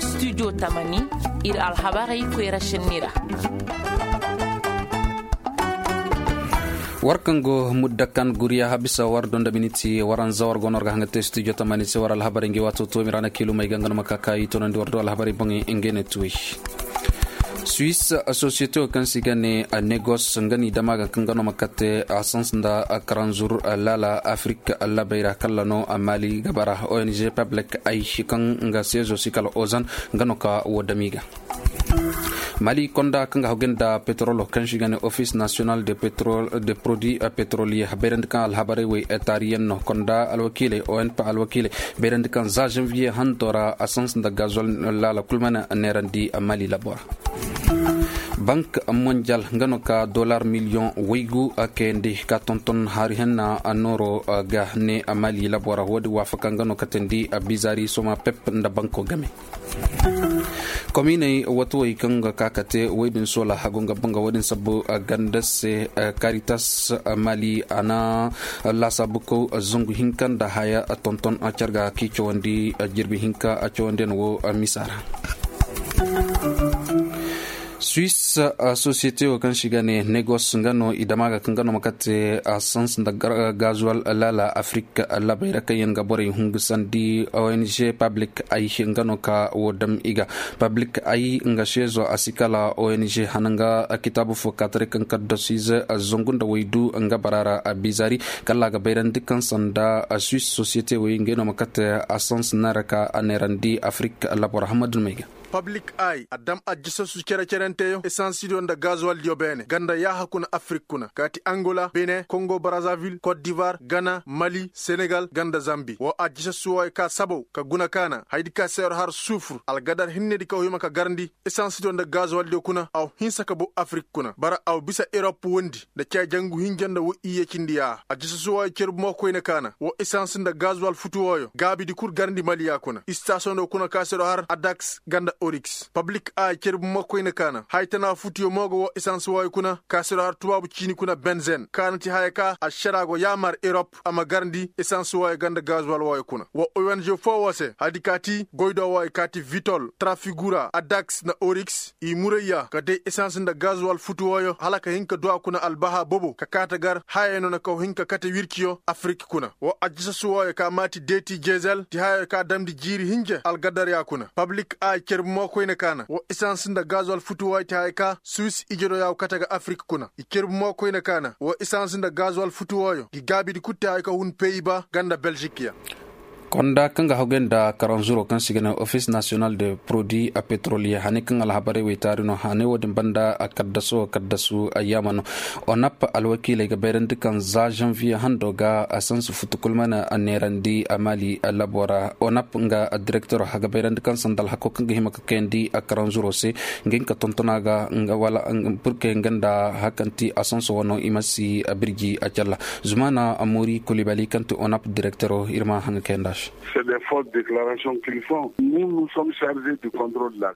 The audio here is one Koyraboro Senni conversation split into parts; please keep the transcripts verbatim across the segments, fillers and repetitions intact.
Studio tamani, ir alhabarey koyra šenni ra. War kaŋ go mudda kan guriya habisa war donda miniti waranza war go no war ga haŋa te studio tamani se war alhabarey ngi waato to mirana kilumey ga nga no ma ka ka i tonandi war do alhabarey boŋey ngey ne tuwey. Suisse, société wo kaŋ se i ga ne negos nga no i dama ga kaŋ ga no ma kate asans nda karanzur laala afrik labey ra kalla no mali gabara ong public ay kaŋ nga seezo si kala ozan nga no ka wo dami ga. Mali konda kaŋ ga hawgay nda petrolo kaŋ se i ga ne office national de produit petrolier bayrandi kaŋ alhabarey wey etariyen no konda alwakiiley onp alwakiiley bayrandi kaŋ za janvier hanto ra asans nda gazol laala kul mana neerandi mali labo ra. Bank mondial nga no ka dolar miliyoŋ waygu kayandi ka tonton hari henna nooro ga ne mali labo ra wo- din waafaka nga no ka teendi bizari soma pep nda banko game. Kominey watawey kaŋ ga ka ka te woy din soola hagu nga banga wo- din sabbu ganda se karitas mali a na laasaabukaw zangu hinka nda haya tonton carga k'i cawandi jirbi hinka cawandiyaŋ wo misa ra. Suisse, société wo kaŋ se i ga ne negos nga no i dama ga kaŋ ga no ma kate asans nda gazuwal laala afrik labey ra kaŋ yaŋ ga borey hungusandi ong public ay nga no ka wo dam i ga. Public ay nga seezo a si kala ong hana nga kitaabu fo kaataray kaŋ kaddasiize zangu nda waydu nga bara ra bizari kala a ga bayrandi kaŋ sanda suisse société wey ngey no ma kate asans neera ka a neerandi afrik labor hamadun may ga. Pablik ay a dam ajjisassu cere-cerenteyo esansidiyo nda gazuwaldiyo beene ganda yaaha kuna afrik kuna kaati angola bene kongo brazavil kot divar gana mali senegal ganda zambi wo ajjisassu wooyo ka sabow ka guna kaana haydi ka seero har sufur algadar hinnedi kaw hima ka garndi esansidiyo nda gazuwaldiyo kuna aw hinsa ka bow afrik kuna bara aw bisa erop wondi nda cee jangu hinja nda wo iyye cindi yaaha ajjisassu wooyo cerbu mo koyne kaana wo esans nda gazuwal futu wooyo gaabidi kul garndi maliya kuna istasiyoŋ do kuna ka seero har adaks ganda oriks pablik a cerbu mo koyne kaana haya tana futuyo mo go wo esans wooyo kuna ka siro har tubaabu ciini kuna benzen kaana ti haya ka ašara go yaamar erop a ma garndi esans wooyo ganda gazuwal wooyo kuna wo ong foo woo se hadi ka ti goydoo wooyo ka ti vitol trafigura adaks nda oriks i murayya ka day esans nda gazuwal futu wooyo hala ka hin ka du a kuna albaha bobo ka kaata gar hayey no na kaw hin ka kate wirciyo afrik kuna wo ajjisassu wooyo ka maati deeti jezel ti hayey ka damndi jiiri hinje algadarya kuna pablik a cerbu mo koyne kaana wo esans nda gazuwal futu wooyo ti haya ka suwis ijediyo ya go kate ga afrik kuna i cerbu mo koyne kaana wo esans nda gazuwal futu wooyo ngi gaabidi kul ti haya ka hun peyiba ganda belžik ya. Konda kaŋ ga hawgay nda karanzuro kaŋ se i ga ne ofis nasiyonal de produit petroliye hane kaŋ alhabarey wey taari no hane wo-din banda kaddaso kaddasu ayyaama no. Onap alwakiiley ga bayrandi kaŋ za zanviye hando ga asansi futu kul mana neerandi mali labo ra onap nga direktero ga bayrandi kaŋ sanda alhako kaŋ ga hima ka kayandi karanzuro se nga hin ka tontona ga nga wala purke nga nda hakanti asanso wano i ma si birji a calla. Zumana amori kulibali kaŋ ti onap direktero ir ma haŋ ga kayandi a se.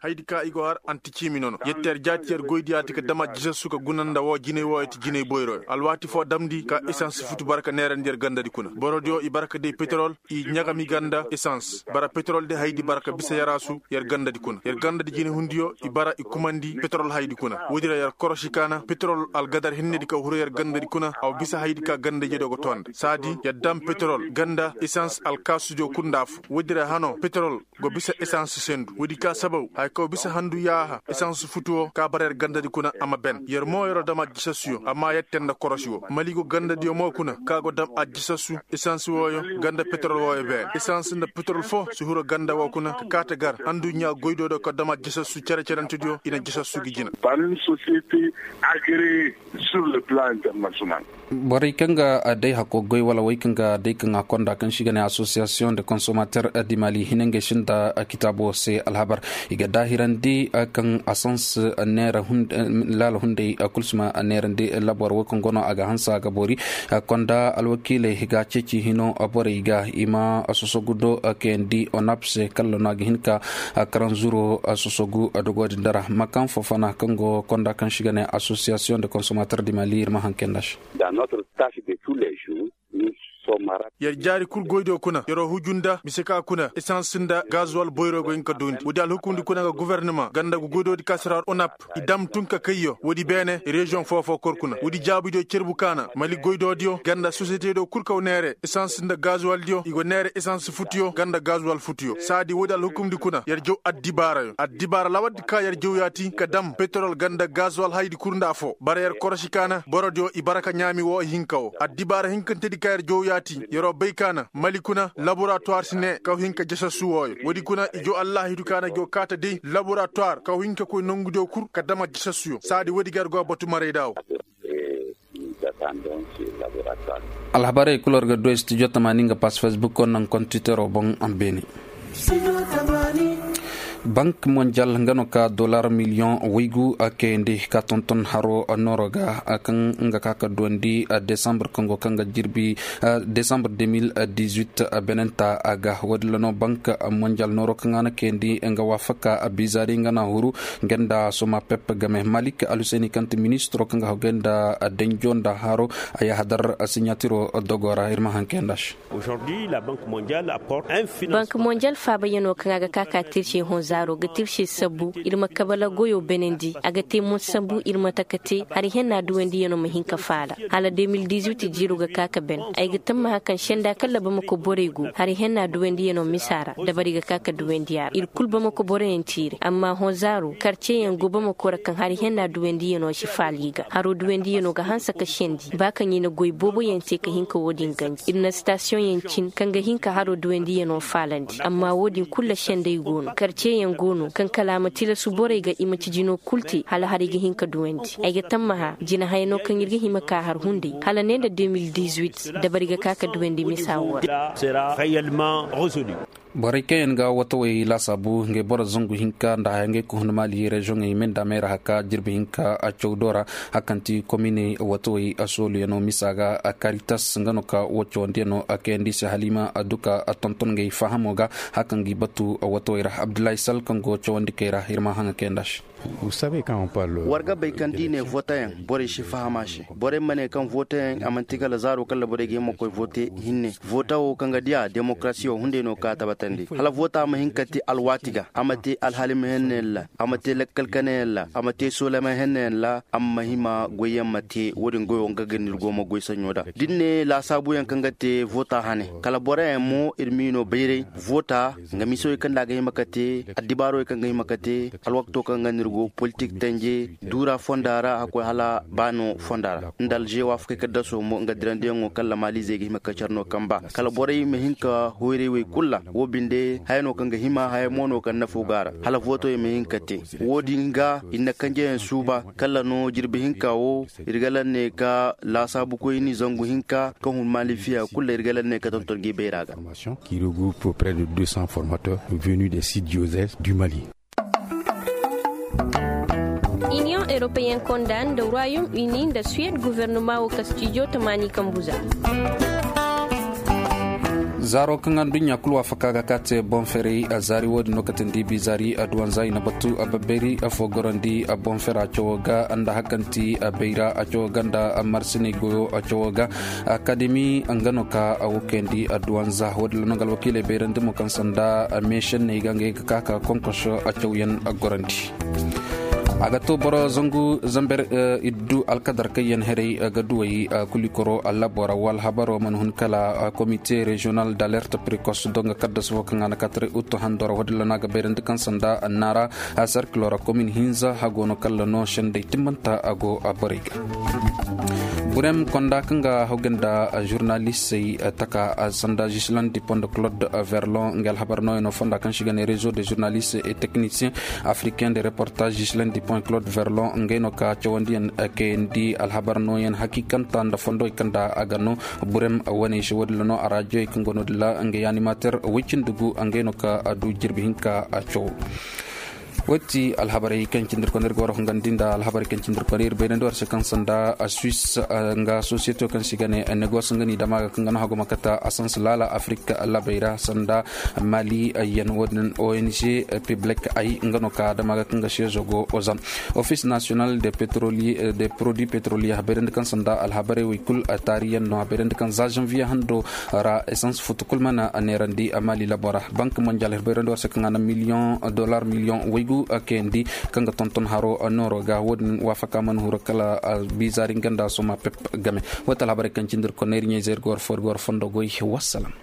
Haydi ka i go har anti ciimi nono yetteer jaati yer goydiyaati ka dam aljisassu ka guna nda woo jinay wooyo ti jinay boyroyo alwaati foo damndi ka esans futu bara ka neerandi yer gandadi kuna borodiyo i bara ka day peterol i ɲagami ganda esans bara peterol de haydi bara ka bisa yaraasu yer gandadi kuna yer gandadi jinay hundiyo i bara i kumandi peterol haydi kuna woodi ra yer korosi kaana peterol algadar hinnedi ka huru yer gandadi kuna a wa bisa haydi ka ganda ijediyo ga too nda saadi yer dam peterol ganda esans alkaasudiyo kul nda afo woodi ra hano peterol go bisa esans sendu woodi ka sabaw haya kaŋ bisa handu yaaha esans futu woo ka bara yer gandadi kuna a ma ben yer mo yer'o dam aljisassuyo amma yette nda korosi woo mali go gandadiyo mo kuna ka go dam aljisassu esans wooyo ganda peterol wooyo beene esans nda peterol foo si huru ganda woo kuna ka kaate gar handu ɲaa goydoo do ka dam aljisassu cere-cerentediyo i na jisassu gi jina. Par une société agréée sur le plan international. Borey kaŋ ga day hako goy wala wey kaŋ ga day kaŋ a konda kaŋ se i ga ne asosiyasiyoŋ de konsomater di mali hina ngey sinda kitaabo se alhabar i ga daahirandi kaŋ asans neera laala hunday kul si ma neerandi labor wey kaŋ go no a ga hanse a ga boori konda alwakiiley ga ceeci hino borey ga i ma sosogu do kayandi onap se kala no a ga hin ka karanzuro sosogu dogo din dara makan fofana kaŋ go konda kaŋ se i ga ne asosiyasiyoŋ de konsomater di mali ir ma haŋ kayandi a se. Dans notre tâche de tous les jours nous Yer jaari kul goydiyo kuna yer'o huju nda mise ka kuna esans nda gazuwal boyro go hin ka duundi woodi alhukumdi kuna nga gofornama ganda goydoodi ka si ra onap i dam tun ka kayyo woodi beene reziyoŋ foo-foo kor kuna woodi jaabudiyo cerbu kaana mali goydoodiyo ganda sosiyetediyo kul kaw neere esans nda gazuwaldiyo i go neere esans futuyo ganda gazuwal futuyo saadi woodi alhukumdi kuna yer jaw addibaarayo addibaara lawardi ka yer jaw yaati ka dam peterol ganda gazuwal haydi kul nda afoo bara yer korosi kaana borodiyo i bara ka ɲaami woo ihinka woo addibaara hinkantedi ka yer jaw yaati yer'o bay kaana mali kuna laboratuwar si ne kaw hin ka jasassu wooyo woodi kuna i jaw allaahidu kaana jaw kaata day laboratuwar kaw hin ka koy nongudiyo kul ka dama jasassuyo saadi woodi ga yer go a batu maray daawo. Alhabarey kul war ga du studio tamaani nga pass facebook ko naŋ kontiteroo boŋ. Beene bank mondial nga no ka dollar miliyoŋ waygu kayandi ka tonton haro nooro ga kaŋ nga ka ka duwandi desambar kaŋ go kaŋ ga jirbi desambar deux mille dix-huit benenta ga woodin ra no bank mondial nooro kaŋ a na kayandi nga waafaka bizaari nga na huru nga nda soma pep game malik aluseni kaŋ ti ministiro kaŋ ga haw gay nda danjo nda haro a ya hadar siɲatiro dogo ra ir ma haŋ kayandi a se. Bank mondial faabayanoo kaŋ a ga ka ka tirse hõ zaaro ga tirse sabbu ir ma kabala goyoo benandi a ga te mo sambu ir ma taka te hari henna duwandiyanoo ma hin ka faala hala deux mille dix-huit jiiroo ga ka ka ben ay ga tammaha kaŋ senda kaŋ ra bamako borey go hari henna duwandiyanoo misa ra dabari ga ka ka duwandi a ra ir kul bamako boroyaŋ tiire amma hõ zaaro karceyaŋ go bamako ra kaŋ hari henna duwandiyanoo si faala i ga haroo duwandiyanoo ga hanse ka sendi ba kaŋ i na goy booboyaŋ te ka hin ka wo-din ganji ir na stasiyoŋyaŋ cin kaŋ ga hin ka haroo duwandiyanoo faalandi amma wo-din kul ra sendey go no karceyaŋ go no kaŋ kala a ma tilasu borey ga i ma ci jinoo kul te hala haray ga hin ka duwandi ay ga tammaha jinahaya no kaŋ ir ga hima ka har hunday hala ne nda deux mille dix-huit dabari ga ka ka duwandi misa wo ra. Borey kaŋ yaŋ ga watawey laasaabu ngey boro zangu hinka nda haya ngey ka hun maali reziyoŋey me nda me ra haka jirbi hinka caw do ra hakanti kominey watawey sooluyaŋo misa ga karitas nga no ka wo cawandiyaŋo kayandi se halima duka tonton ngey fahamo ga hakan gi batu watawey ra abdullahi sal kaŋ go cawandi kay ra ir ma haŋa kayandi a se. War ga bay kaŋ da i ne votayaŋ borey si faham a se borey ma ne kaŋ votayaŋ a manti kala zaaro kaŋ ra borey ga hima koy vote hinne vota wo kaŋ ga diya demokarasiyo hunday no ka tabatandi hala vota ma hin ka te alwaati ga a ma te alhali ma hennayaŋ ra a ma te lakkal kanayaŋ ra a ma te soolama hennayaŋ ra a ma hima goyyaŋ ma te wo-din goyo nga ga ni ir go ma goy saɲo da da ni ne laasaabuyaŋ kaŋ ga te vota hane kala boroyaŋ mo ir m'i no bayray vota nga misoy kaŋ da a ga hima ka te addibaarowey kaŋ ga hima ka te alwakto kaŋ ga nir go politik tanje duura fonda ra hakkoy hala baano fonda ra nda alže waafakey ka daso mo nga dirandiyaŋo kaŋ lamaalizey ga hima ka care no kaŋ ba kala borey ma hin ka hoyray wey kul ra wo binde haya no kaŋ ga hima haya mo no kaŋ nafo go a ra hala vootowey ma hin ka te wo-din ga ir na kanjeyaŋ suuba kala no jirbi hinka wo ir ga laŋ ne ka laasaabukoyni zangu hinka kaŋ hun maalifiya kul ra ir ga laŋ ne ka tonton gi bayra ga. Qui regroupe près de deux cents formateurs venus des six diocèses du Mali. Iniyoŋ europeyen konda nda royaume uni nda suwed guvernoma wo ka stijo tamaani kambuza. Zaaro kaŋ adduɲɲa kulu waafaka ga ka te boŋ ferey zaari wo-din no ka tindi bi zaari adduwanza i na batu babbeeri fo gorandi boŋ fera cawo ga nda hakanti bayra cawo ga nda marsiney goyo cawo ga. Akademi nga no ka wo kayandi adduwanza wo-din ra no nga alwakiiley bayrandi mo kaŋ sanda meešenney ga ngey ga ka ka konkos cawyaŋ gorandi. A ga to boro zangu zamber iddu alkadar kaŋ yaŋ herey ga duwey kulikoro allabo ra wala habaro mana hun kala komite reziyonal d'alerte prekos do nga kaddas fo kaŋ a na kataray utto hando ra wo-din ra no a ga bayrandi kaŋ sanda annaara. Serkilo ra komin hinza hago no kala no sendey timmanta a go a borey ga. Burem konda kaŋ ga hawgay nda žurnalistey taka sanda gislain dipond claude verlon nga alhabar nooyaŋo fonda kaŋ se i ga ne rezo de žurnaliste et technicien africain de reportage gislain dipond claude verlon ngey no ka cawandiyaŋ kayandi alhabar nooyaŋ hakiikanta nda fondowey kaŋ nda a ga no burem wane se wo-din ra no a raajiyey kaŋ go no-din ra ngey animater woy cindi gu ngey no ka du jirbi hinka caw. Wati alhabarey kaŋ cindirkoney ir ga war hungandi nda alhabarey kaŋ cindirkoney ir bayrandi war se kaŋ sanda a suis, nga sosiyete kaŋ se i ga ne negos nga ni dama ga kaŋ ga no haguma kata a sans laala afrik labey ra sanda mali yan wadin ong piblik ay nga no ka dama ga kaŋ ga sezo go ozan. Office national de petroli de produit petroli a bayrandi kaŋ sanda alhabarey wey kul taari yan no a bayrandi kaŋ za janvier hando ra essence futu kul mana a neerandi a mali labo ra. Bank mondial ir bayrandi war se kaŋ a na miliyoŋ dolar miliyoŋ waygu kayandi kaŋ ga tonton haro nooro ga wo- din waafaka mana huru kala bizaari nga nda soma pep game. Wata alhabarey kaŋ cindi ir konney ir ɲayzey ir ga war fo ir ga war fondo goy. Wassalam.